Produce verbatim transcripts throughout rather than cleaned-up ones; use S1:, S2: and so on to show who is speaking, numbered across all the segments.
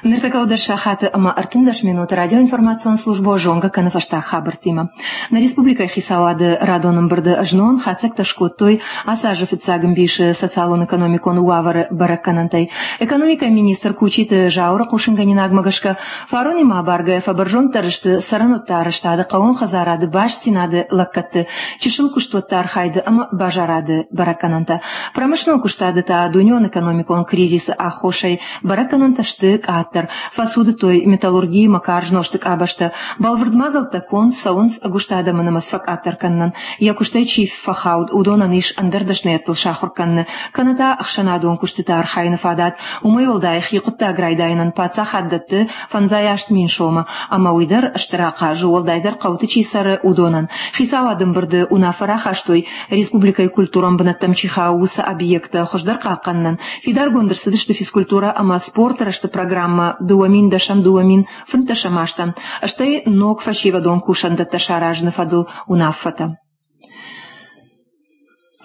S1: Ныртӕккӕ дӕс сахаты ӕмӕ ӕртындӕс минуты радиоинформацион службӕ зонгӕ кӕны фӕстаг хабӕрттимӕ. Нӕ республикӕйы хицауады радон ӕмбырды знон хатдзӕгтӕ скодтой ацы азы фыццаг ӕмбисы социалон-экономикон уавӕры бӕрӕггӕнӕнтӕй. Экономикӕйы министр Кучиты Зауыры хъусынгӕнинагмӕ гӕсгӕ фаронимӕ абаргӕйӕ фӕбӕрзонддӕр сты цӕрӕнуӕтты арӕзтады, хъӕууон хӕдзарады, бастдзинады лӕггӕдты, чысыл куыстуӕтты архайды ӕмӕ базарады бӕрӕггӕнӕнтӕ. Промышленнон куыстады та дунеон экономикон кризисы аххосӕй бӕрӕггӕнӕнтӕ сты къаддӕр. Фӕцудыдтой металлургийы ӕмӕ карз нозты къабӕзтӕ. Бӕлвырд мадзӕлттӕ конд цӕуынц ӕгуыст адӕмы нымӕц фӕкъаддӕр кӕнынӕн. Йӕ куыстӕй чи фӕхауд, уыдонӕн ис ӕндӕр дӕсныйӕдтыл сахуыр кӕныны, кӕнӕ та ӕхсӕнадон куыстыты архайыны фадат. Уымӕй уӕлдай хи хъуыддаг райдайынӕн паддзахад дӕтты фӕндзай аст мин сомы. Ӕмӕ уый дӕр стыр ахъаз у, уӕлдайдӕр хъӕуты чи цӕры, уыдонӕн. Хицауады ӕмбырды уынаффӕ рахастой, республикӕйы культурон бынӕттӕм чи хауы, уыцы объекттӕ хуыздӕр хъахъхъӕнынӕн. Фидаргонд ӕрцыдысты физкультурӕ ӕмӕ спорты рӕзты программӕ дыууӕ мин дӕсӕм дыууӕ мин фынддӕсӕм азтӕм, стӕй ног фӕсивӕдон кусӕндӕттӕ саразыны фӕдыл уынаффӕтӕ.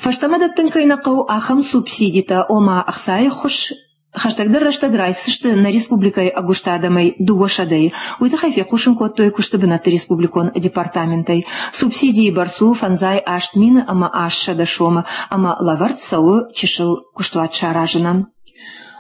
S1: Фӕстӕмӕ дӕттын кӕй нӕ хъӕуы, ахӕм субсидитӕ, ома ӕхцайы ӕххуыс, хӕстӕгдӕр рӕстӕг райсдзысты нӕ республикӕйы ӕгуыст адӕмӕй дыууӕ сӕдӕйы. Уый тыххӕй фехъусын кодтой куысты бынӕтты республикон департаментӕй. Субсидийы бӕрц у фӕндзай аст мины ӕмӕ аст сӕдӕ сомы ӕмӕ лӕвӕрд цӕуы чысыл куыстуат саразынӕн.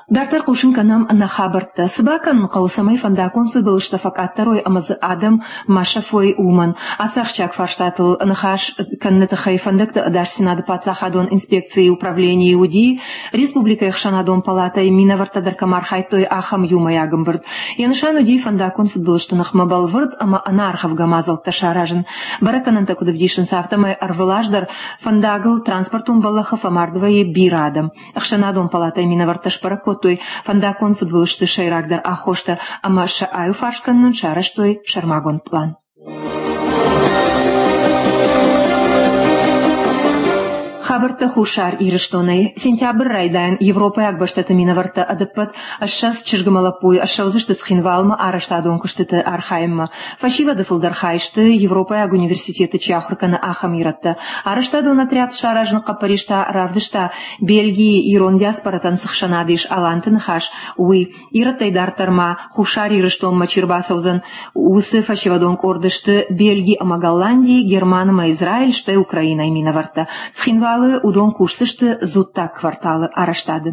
S1: Дарддӕр хъусын кӕнӕм нӕ хабӕрттӕ. Цы бакӕнын хъӕуы, цӕмӕй фӕндаггон фыдбылызтӕ фӕкъаддӕр уой ӕмӕ дзы адӕм ма сӕфой, уымӕн? Ацы ахсджиаг фарстатыл ныхас кӕныны тыххӕй фӕндӕгты ӕдасдзинады паддзахадон инспекцийы управленийы уыди республикӕйы ӕхсӕнадон палатӕйы минӕвӕрттӕ дӕр кӕм архайдтой, ахӕм иумӕйаг ӕмбырд. Йӕ нысан уыди фӕндаггон фыдбылызты ныхмӕ бӕлвырд ӕмӕ ӕнӕаргъӕвгӕ мадзӕлттӕ саразын. Бӕрӕггӕнӕнтӕ куыд ӕвдисынц, афтӕмӕй ӕрвылаз дӕр фӕндагыл транспортон бӕллӕхы фӕмард вӕййы бирӕ адӕм. Ӕхсӕнадон палатӕйы минӕвӕрттӕ сбӕрӕг кодтой фӕндаггон фыдбылызты сӕйрагдӕр аххостӕ ӕмӕ сӕ аиуфарс кӕнынӕн сарӕзтой сӕрмагонд пълан. Хабӕрттӕ Хуссар Ирыстонӕй. Сентябры райдайӕн европӕйаг бӕстӕты минӕвӕрттӕ ӕдӕппӕт ссӕдз чызг ӕмӕ лӕппуйы ссӕудзысты Цхинвалмӕ арӕзтадон куыстыты архайынмӕ. Фӕсивӕды фылдӕр хай сты, Европӕйаг университеты чи ахуыр кӕны, ахӕм ирӕттӕ. Арӕзтадон отряд саразыны хъӕппӕрис та равдыста, Бельгийы ирон диаспоратӕн цы хсӕнад ис Аланты ныхас, уый. Ирӕттӕй дарддӕр ма Хуссар Ирыстонмӕ чи рбацӕудзӕн, уыцы фӕсивӕдон къорды сты Бельги ӕмӕ Голландийы, Герман ӕмӕ Израиль, стӕй Украинӕйы минӕвӕрттӕ. Цхинвалы уыдон кусдзысты дзуттаг кварталы арӕзтады.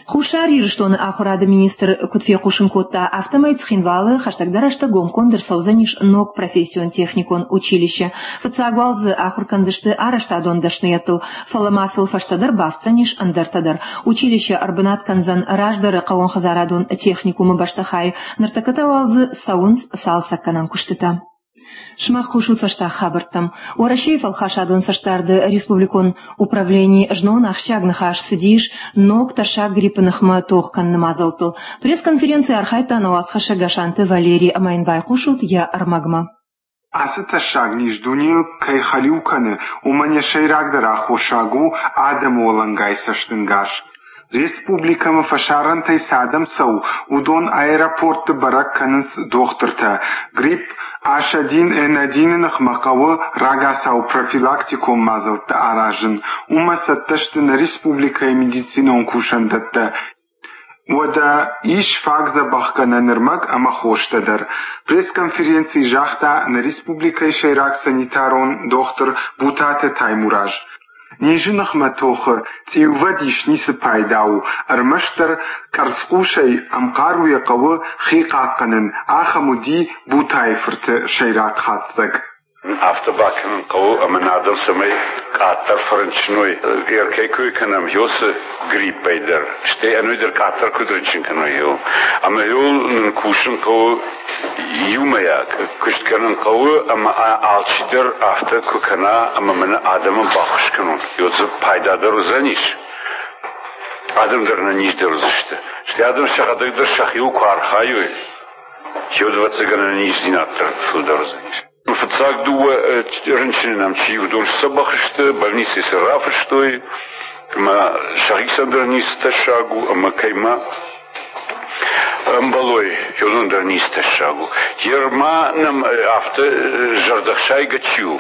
S1: Хуссар Ирыстоны ахуырады министр куыд фехъусын кодта, афтӕмӕй Цхинвалы хӕстӕгдӕр рӕстӕг гомконд ӕрцӕудзӕнис ног профессион-техникон училище. Фыццаг уал дзы ахуыр кӕндзысты арӕзтадон дӕсныйӕдтыл, фӕлӕ ма сыл фӕстӕдӕр бафтдзӕнис ӕндӕртӕ дӕр. Училище ӕрбынат кӕндзӕн раздӕры хъӕууонхӕдзарадон техникумы бӕстыхайы, ныртӕккӕ та уал дзы цӕуынц цалцӕггӕнӕн куыстытӕ. Сымах хъусут фӕстаг хабӕрттӕм. Уӕрӕсейы фӕлхасадон цӕстдарды республикон управленийы знон ахсджиаг ныхас цыдис ног тӕссаг гриппы ныхмӕ тох кӕныны мадзӕлттыл. Пресс-конференцийы архайдта нӕ уацхӕссӕг Гасанты Валерий ӕмӕ йын байхъусут йӕ ӕрмӕгмӕ.
S2: Ацы тӕссаг низ дунейыл кӕй хӕлиу кӕны, уымӕн йӕ сӕйрагдӕр аххосаг у адӕмы уӕлӕнгай цӕстӕнгас. Республикӕмӕ фӕсарӕнтӕй цы адӕм цӕуы, уыдон аэропортты бӕрӕг кӕнынц дохтыртӕ. Грипп ас один эн один-ы ныхмӕ хъӕуы рагацау профилактикон мадзӕлттӕ аразын. Уымӕ цӕттӕ сты нӕ республикӕйы медицинон кусӕндӕттӕ. Уӕдӕ ис фаг дзӕбӕхгӕнӕн ӕрмӕг ӕмӕ хостӕ дӕр. Пресс-конференцийы загъта нӕ республикӕйы сӕйраг санитарон дохтыр Бутаты Таймураз. Низы ныхмӕ тохы цъиувӕдис ницы пайда у, ӕрмӕстдӕр къӕрцхъусӕй ӕмхъаруйӕ хъӕуы хи хъахъхъӕнын, ахӕм уыди Бутайы-фырты сӕйраг хатдзӕг.
S3: Афтӕ бакӕнын хъӕуы, ӕмӕ нӕ адӕм цӕмӕй къаддӕр фӕрынчын уой, кӕй кой кӕнӕм, уыцы гриппӕй дӕр, стӕй ӕнӕуи дӕр къаддӕр куыд рынчын кӕной, ӕмӕ нын кусын хъӕуы иумӕйаг куыст кӕнын хъӕуы, ӕмӕ алчидӕр афтӕ куы кӕна, ӕмӕ мӕнӕ адӕмӕн баххуыс кӕнон, дзы пайда дӕр уыдзӕнис, адӕм дӕр ӕнӕниздӕр уыдзысты. Стӕй адӕм сӕхӕдӕг дӕр сӕхиуыл куы архайой, ӕвӕццӕгӕн ӕнӕниздзинад дӕр фылдӕр уыдзӕнис. Фыццаг дыууӕ рынчыны нӕм чи уыдон сдзӕбӕх сты, больницӕйы сӕ рафыстой, ӕмӕ сӕхицӕн дӕр ницы тӕссаг у, ӕмӕ кӕй ма ӕмбӕлой, уыдон дӕр ницы тӕссаг у. Ерма нӕм афтӕ зӕрдӕхсайгӕ чи у,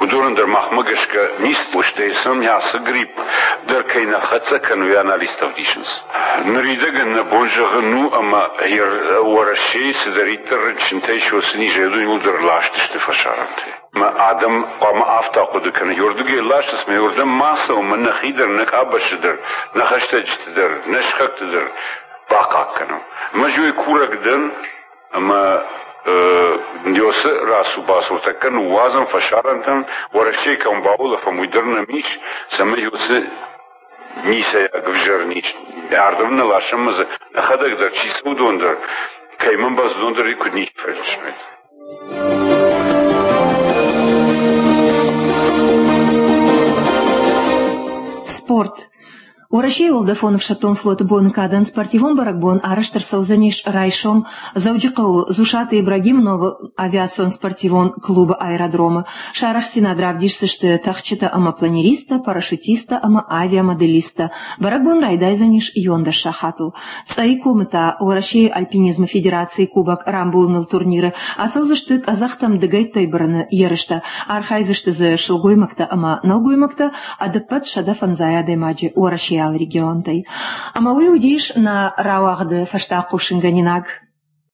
S3: уыдонӕн дӕр махмӕ гӕсгӕ ницы, стӕй сӕм ацы грипп дӕр кӕй нӕ хӕццӕ кӕны, уый анализтӕ ӕвдисынц. Ныридӕгӕн нӕ бон зӕгъын у, ӕмӕ Уӕрӕсейы цыдӕриддӕр рынчынтӕ ис, уыцы низӕй уыдон иууылдӕр ласт сты фӕсарӕнтӕй. Ӕмӕ адӕм хъуамӕ афтӕ хъуыды кӕной, уырдыгӕй ласынц, ӕмӕ уырдӕм ма цӕуӕм, ӕмӕ нӕхи дӕр, нӕ къабӕзты дӕр, нӕ хӕстӕджыты дӕр, нӕ сыхӕгты дӕр бахъахъхъӕнӕм. Ӕмӕ ӕз уый курӕг дӕн, ӕмӕ Нёсы рацу-бацу тӕккӕ ныууадзӕм фӕсарӕнтӕм, Уӕрӕсейы кӕм баулӕфӕм, уый дӕр нӕм ис, цӕмӕй уыцы ницӕйаг ӕвзӕр низ ардӕм нӕ ласӕм ӕмӕ дзы нӕхӕдӕг дӕр, чи цы, уыдон дӕр, кӕй мӕм уыдон дӕр куыд ничи фӕрынчын.
S1: Спорт. Уӕрӕсейы уӕлдӕфон ӕфсӕддон флоты боны кадӕн спортивон бӕрӕгбон арӕзт ӕрцӕудзӕнис райсом Дзӕуджыхъӕуы Дзусаты Ибрагимы номыл авиацион спортивон клубы аэродромы. Сӕ арӕхстдзинад равдисдзысты тӕхджытӕ ӕмӕ планеристтӕ, парашютисттӕ ӕмӕ авиамоделисттӕ. Бӕрӕгбон райдайдзӕнис иуӕндӕс сахатыл. Цъӕйы комы та Уӕрӕсейы альпинизмы федерацийы кубок рамбулыныл турниры ацӕудзысты къӕдзӕхтӕм дыгӕйттӕй бырыны ерыстӕ. Архайдзысты дзы сылгоймӕгтӕ ӕмӕ нӕлгоймӕгтӕ, ӕдӕппӕт сӕдӕ фӕндзай адӕймаджы Уӕрӕсейы алы регионтӕй. Ӕмӕ уый уыдис нӕ рауагъды фӕстаг хъусынгӕнинаг.